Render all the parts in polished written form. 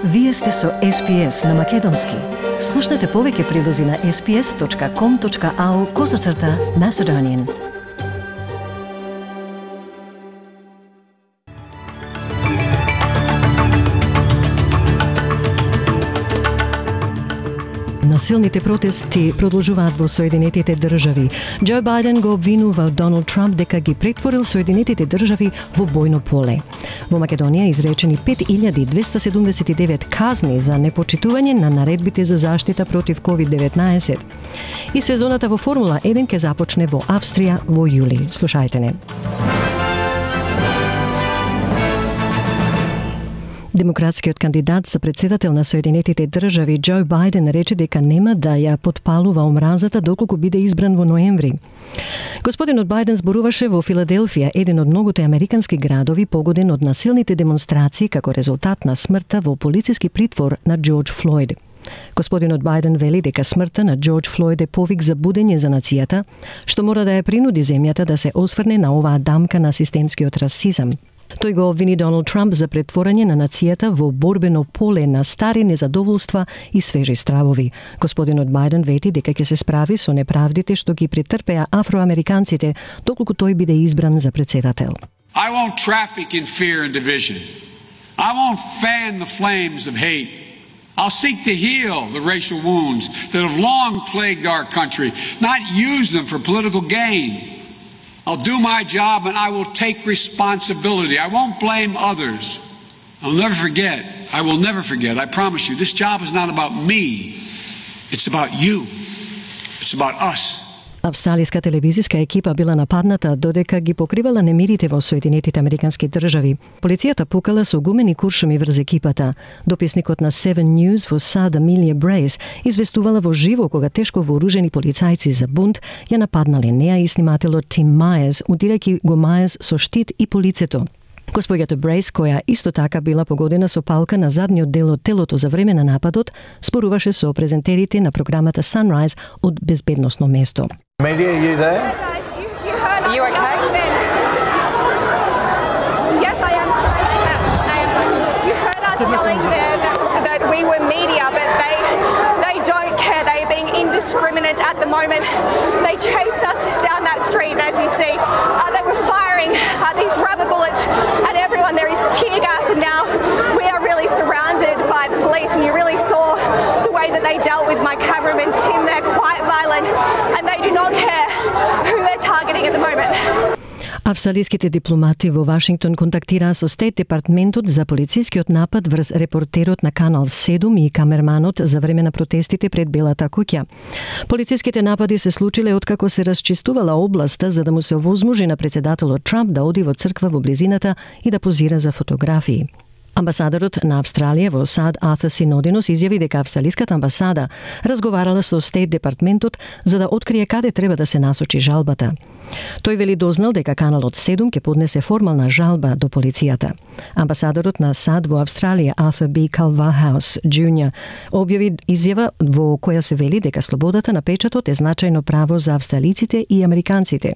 Вие сте со SPS на Македонски. Слушнете повеќе прилози на sps.com.au/Macedonian. Насилните протести продолжуваат во Соединетите држави. Џо Бајден го обвинува Доналд Трамп дека ги претворил Соединетите држави во бојно поле. Во Македонија изречени 5279 казни за непочитување на наредбите за заштита против COVID-19. И сезоната во Формула 1 ќе започне во Австрија во јули. Слушајте не. Демократскиот кандидат за председател на Соединетите држави Џо Бајден рече дека нема да ја потпалува омразата доколку биде избран во ноември. Господинот Бајден зборуваше во Филаделфија, еден од многуте американски градови погоден од насилните демонстрации како резултат на смртта во полициски притвор на Џорџ Флојд. Господинот Бајден вели дека смртта на Џорџ Флојд е повик за будење за нацијата, што мора да ја принуди земјата да се осврне на оваа дамка на системскиот расизам. Тој го обвини Доналд Трамп за претворање на нацијата во борбено поле на стари незадоволства и свежи стравови. Господинот Бајден вети дека ќе се справи со неправдите што ги претрпеа афроамериканците доколку тој биде избран за председател. I won't traffic in fear and division. I won't fan the flames of hate. I'll seek to heal the racial wounds that have long plagued our country, not use them for political gain. I'll do my job and I will take responsibility. I won't blame others. I'll never forget. I will never forget. I promise you, this job is not about me. It's about you. It's about us. Австралиска телевизиска екипа била нападната додека ги покривала немирите во Соединетите американски држави. Полицијата пукала со гумени куршуми врз екипата. Дописникот на 7 News во САД Амилија Брейс известувала во живо кога тешко вооружени полицајци за бунт ја нападнале неа и снимателот Тим Мајерс, удирајќи го Мајерс со штит и по лицето. Госпоѓата Брейс, која исто така била погодена со палка на задниот дел од телото за време на нападот, споруваше со презентерите на програмата Sunrise од безбедносно место. Media, are you there? Are you okay? Yes, I am. You heard us yelling there that we were media, but they don't care. They are being indiscriminate at the moment. They chased us down that street, and as you see, they were firing these rubber bullets at everyone. There is tear gas, and now we are really surrounded by the police, and you really saw the way that they dealt with my cameraman Tim. They're quite violent, and they do not care who they're targeting at the moment. Австралиските дипломати во Вашингтон контактираа со Стейт департментот за полицискиот напад врз репортерот на Канал 7 и камерманот за време на протестите пред Белата куќа. Полициските напади се случиле откако се расчистувала областа за да му се овозможи на председателот Трамп да оди во црква во близината и да позира за фотографии. Амбасадорот на Австралија во САД Артур Синодинос изјави дека австралиската амбасада разговарала со Стейт департментот за да открие каде треба да се насочи жалбата. Тој вели дознал дека Каналот 7 ќе поднесе формална жалба до полицијата. Амбасадорот на САД во Австралија Артур Б. Калвахаус Джуниор објави изјава во која се вели дека слободата на печатот е значајно право за австралиците и американците.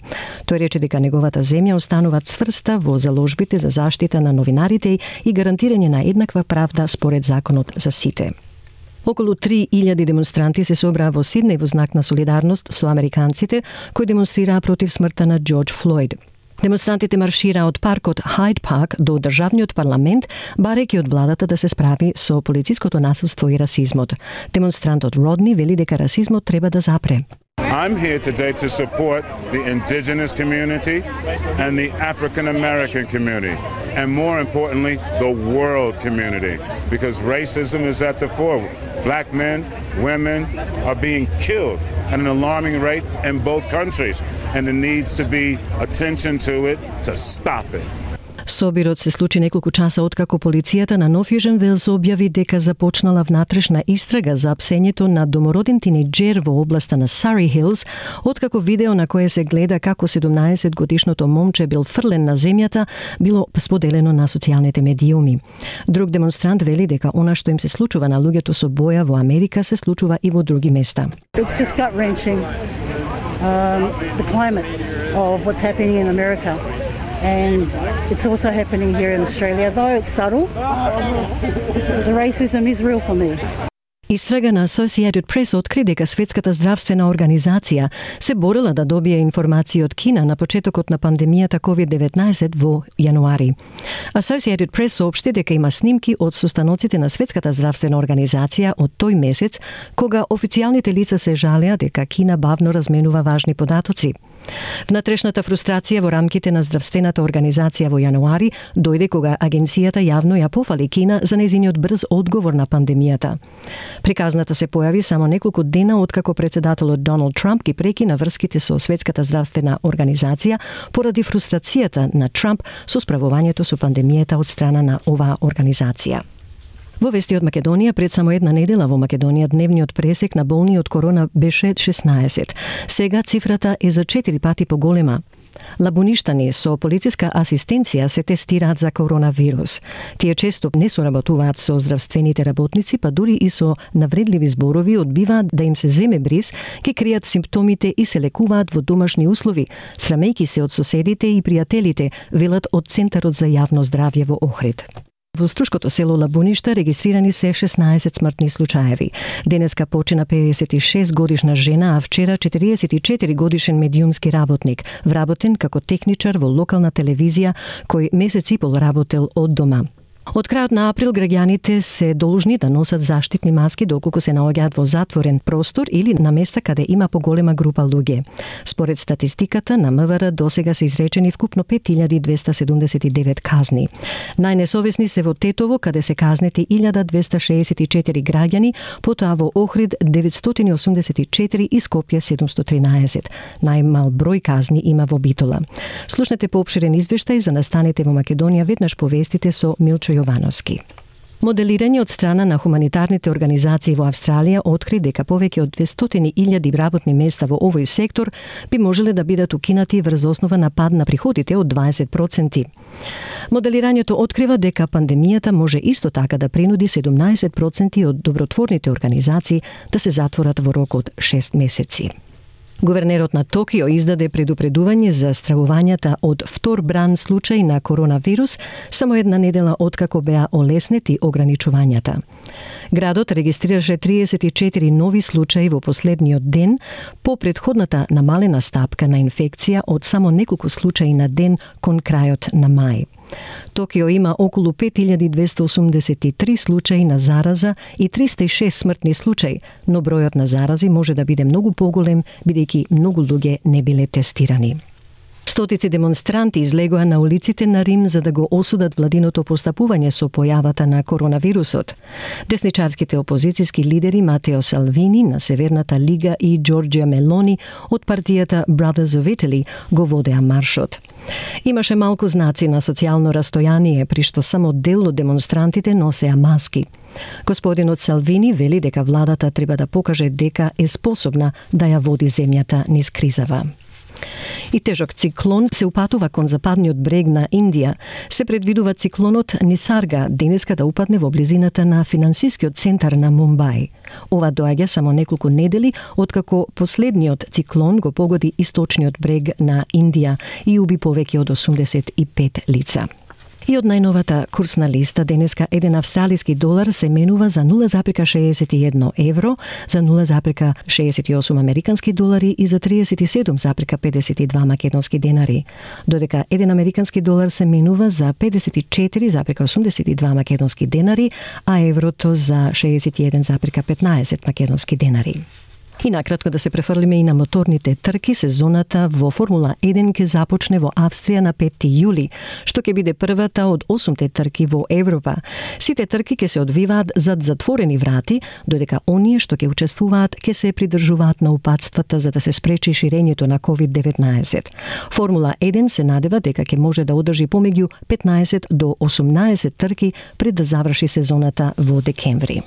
Тој рече дека неговата земја останува цврста во заложбите за заштита на новинарите и гарантирање на еднаква правда според законот за сите. Околу 3000 демонстранти се собраа во Сиднеј во знак на солидарност со американците кои демонстрираа против смртта на Џорџ Флојд. Демонстрантите маршираа од паркот Хайд Парк до државниот парламент, барајќи од владата да се справи со полициското насилство и расизмот. Демонстрантот Родни вели дека расизмот треба да запре. I'm here today to support the indigenous community and the African American community, and more importantly, the world community, because racism is at the fore. Black men, women are being killed at an alarming rate in both countries, and there needs to be attention to it to stop it. Собирот се случи неколку часа откако полицијата на Нов Јужен Велс објави дека започнала внатрешна истрага за апсењето на домороден тинејџер во областа на Surrey Hills, откако видео на кое се гледа како 17-годишното момче бил фрлен на земјата било споделено на социјалните медиуми. Друг демонстрант вели дека она што им се случува на луѓето со боја во Америка се случува и во други места. It's just gut-wrenching, the climate of what's happening in America. and it's also happening here in Australia, though it's subtle. The racism is real for me. Истрага на Associated Press откри дека Светската здравствена организација се борила да добие информации од Кина на почетокот на пандемијата COVID-19 во јануари. Associated Press соопшти дека има снимки од состаноците на Светската здравствена организација од тој месец, кога официјалните лица се жалеа дека Кина бавно разменува важни податоци. Внатрешната фрустрација во рамките на здравствената организација во јануари дојде кога агенцијата јавно ја пофали Кина за нејзиниот брз одговор на пандемијата. Приказната се појави само неколку дена откако председателот Доналд Трамп ги прекина врските со Светската здравствена организација поради фрустрацијата на Трамп со справувањето со пандемијата од страна на оваа организација. Во вести од Македонија, пред само една недела во Македонија дневниот пресек на болни од корона беше 16. Сега цифрата е за 4 пати поголема. Лабуништани со полициска асистенција се тестираат за коронавирус. Тие често не соработуваат со здравствените работници, па дури и со навредливи зборови одбиваат да им се земе бриз, ки кријат симптомите и се лекуваат во домашни услови, срамејки се од соседите и пријателите, велат од Центарот за јавно здравје во Охрид. Во струшкото село Лабуништа регистрирани се 16 смртни случаеви. Денеска почина 56 годишна жена, а вчера 44 годишен медиумски работник, вработен како техничар во локална телевизија, кој месец и пол работел од дома. Од крајот на април граѓаните се должни да носат заштитни маски доколку се наоѓаат во затворен простор или на места каде има поголема група луѓе. Според статистиката на МВР досега се изречени вкупно 5279 казни. Најнесовесни се во Тетово, каде се казнети 1264 граѓани, потоа во Охрид 984 и Скопје 713. Најмал број казни има во Битола. Слушнете поопширен извештај за настаните во Македонија веднаш по вестите со Милчо Јовановски. Моделирање од страна на хуманитарните организации во Австралија откри дека повеќе од 200.000 работни места во овој сектор би можеле да бидат укинати врз основа на пад на приходите од 20%. Моделирањето открива дека пандемијата може исто така да принуди 17% од добротворните организации да се затворат во рок од 6 месеци. Гувернерот на Токио издаде предупредување за стравувањата од втор бран случај на коронавирус само една недела откако беа олеснети ограничувањата. Градот регистрираше 34 нови случаи во последниот ден по претходната намалена стапка на инфекција од само неколку случаи на ден кон крајот на мај. Токио има околу 5283 случаи на зараза и 306 смртни случаи, но бројот на зарази може да биде многу поголем, бидејќи многу луѓе не биле тестирани. Стотици демонстранти излегоа на улиците на Рим за да го осудат владиното постапување со појавата на коронавирусот. Десничарските опозицијски лидери Матео Салвини на Северната лига и Џорџија Мелони од партијата Brothers of Italy го водеа маршот. Имаше малку знаци на социјално растојание, при што само дел од демонстрантите носеа маски. Господинот Салвини вели дека владата треба да покаже дека е способна да ја води земјата низ кризава. И тежок циклон се упатува кон западниот брег на Индија. Се предвидува циклонот Нисарга денеска да упадне во близината на финансискиот центар на Мумбај. Ова доаѓа само неколку недели откако последниот циклон го погоди источниот брег на Индија и уби повеќе од 85 лица. И од најновата курсна листа денеска еден австралиски долар се менува за 0,61 евро, за 0,68 американски долари и за 37,52 македонски денари, додека еден американски долар се менува за 54,82 македонски денари, а еврото за 61,15 македонски денари. И накратко да се префрлиме и на моторните трки, сезоната во Формула 1 ќе започне во Австрија на 5 јули, што ќе биде првата од 8 трки во Европа. Сите трки ќе се одвиваат зад затворени врати, додека оние што ќе учествуваат ќе се придржуваат на упатствата за да се спречи ширењето на COVID-19. Формула 1 се надева дека ќе може да одржи помеѓу 15 до 18 трки пред да заврши сезоната во декември.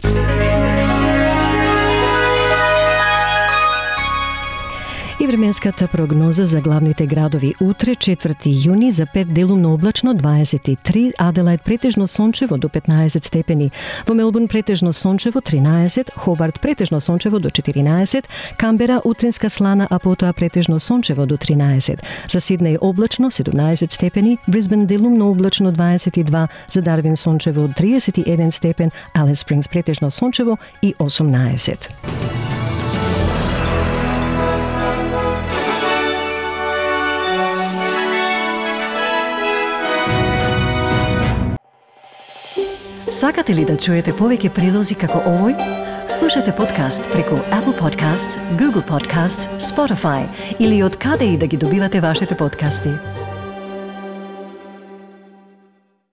И И временската прогноза за главните градови утре, 4 јуни, за Перт делумно облачно 23, Аделајд претежно сончево до 15 степени, во Мелбурн претежно сончево 13, Хобарт претежно сончево до 14, Камбера утринска слана, а потоа претежно сончево до 13, за Сиднеј облачно 17 степени, Брисбен делумно облачно 22, за Дарвин сончево 31 степен, Алис Спрингс претежно сончево и 18. Сакате ли да чуете повеќе прилози како овој? Слушате подкаст преку Apple Podcasts, Google Podcasts, Spotify или од каде и да ги добивате вашите подкасти.